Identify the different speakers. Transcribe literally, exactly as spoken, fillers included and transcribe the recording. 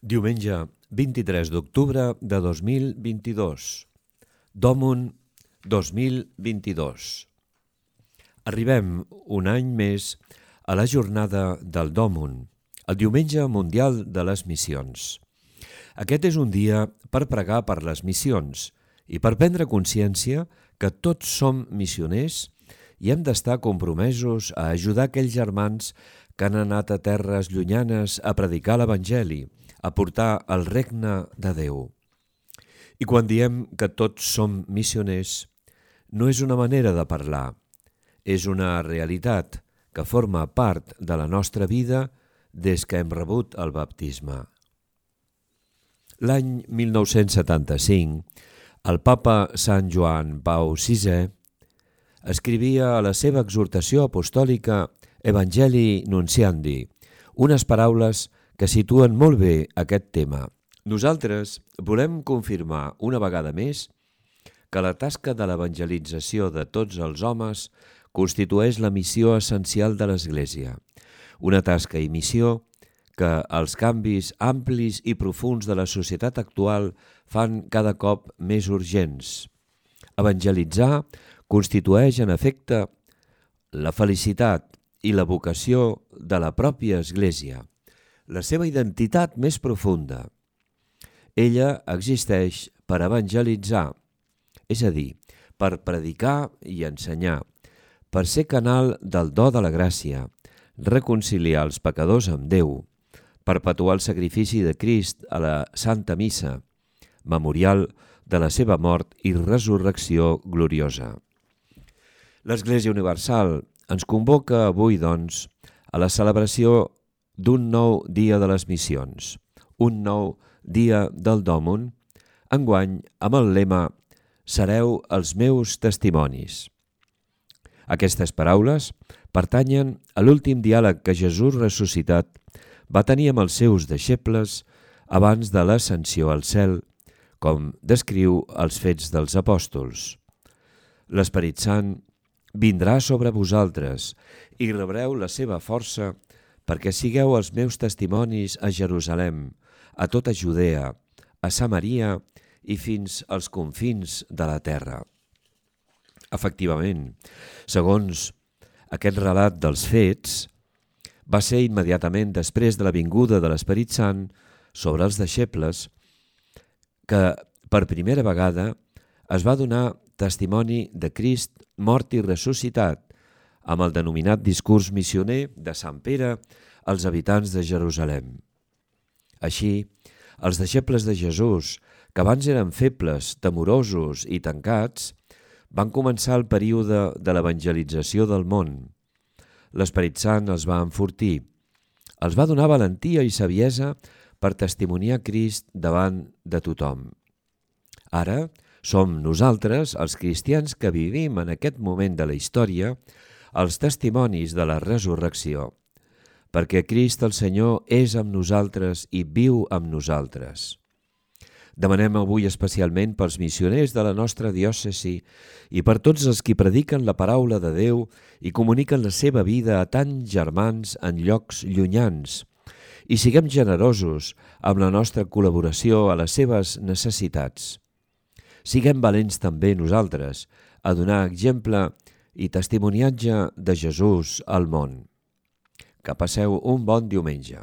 Speaker 1: Diumenge vint-i-tres d'octubre de dos mil vint-i-dos. Dòmun dos mil vint-i-dos. Arribem un any més a la jornada del Dòmun, el Diumenge Mundial de les Missions. Aquest és un dia per pregar per les missions i per prendre consciència que tots som missioners i hem d'estar compromesos a ajudar aquells germans que han anat a terres llunyanes a predicar l'Evangeli, a portar el regne de Déu. I quan diem que tots som missioners, no és una manera de parlar, és una realitat que forma part de la nostra vida des que hem rebut el baptisme. L'any mil nou-cents setanta-cinc, el papa Sant Joan Pau sisè escrivia a la seva exhortació apostòlica Evangelii Nunciandi unes paraules que situen molt bé aquest tema. Nosaltres volem confirmar una vegada més que la tasca de l'evangelització de tots els homes constitueix la missió essencial de l'Església, una tasca i missió que els canvis amplis i profunds de la societat actual fan cada cop més urgents. Evangelitzar constitueix, en efecte, la felicitat i la vocació de la pròpia Església, la seva identitat més profunda. Ella existeix per evangelitzar, és a dir, per predicar i ensenyar, per ser canal del do de la gràcia, reconciliar els pecadors amb Déu, perpetuar el sacrifici de Crist a la Santa Missa, memorial de la seva mort i resurrecció gloriosa. L'Església Universal ens convoca avui, doncs, a la celebració d'un nou dia de les missions, un nou dia del Dòmun, enguany amb el lema «Sereu els meus testimonis». Aquestes paraules pertanyen a l'últim diàleg que Jesús ressuscitat va tenir amb els seus deixebles abans de l'ascensió al cel, com descriu els Fets dels Apòstols. L'Esperit Sant vindrà sobre vosaltres i rebreu la seva força perquè sigueu els meus testimonis a Jerusalem, a tota Judea, a Samaria i fins als confins de la terra. Efectivament, segons aquest relat dels fets, va ser immediatament després de la vinguda de l'Esperit Sant sobre els deixebles que per primera vegada es va donar testimoni de Crist mort i ressuscitat amb el denominat discurs missioner de Sant Pere als habitants de Jerusalem. Així, els deixebles de Jesús, que abans eren febles, temorosos i tancats, van començar el període de l'evangelització del món. L'Esperit Sant els va enfortir, els va donar valentia i saviesa per testimoniar Crist davant de tothom. Ara som nosaltres, els cristians que vivim en aquest moment de la història, els testimonis de la resurrecció, perquè Crist el Senyor és amb nosaltres i viu amb nosaltres. Demanem avui especialment pels missioners de la nostra diòcesi i per tots els qui prediquen la paraula de Déu i comuniquen la seva vida a tants germans en llocs llunyans, i siguem generosos amb la nostra col·laboració a les seves necessitats. Siguem valents també nosaltres a donar exemple i testimoniatge de Jesús al món. Que passeu un bon diumenge.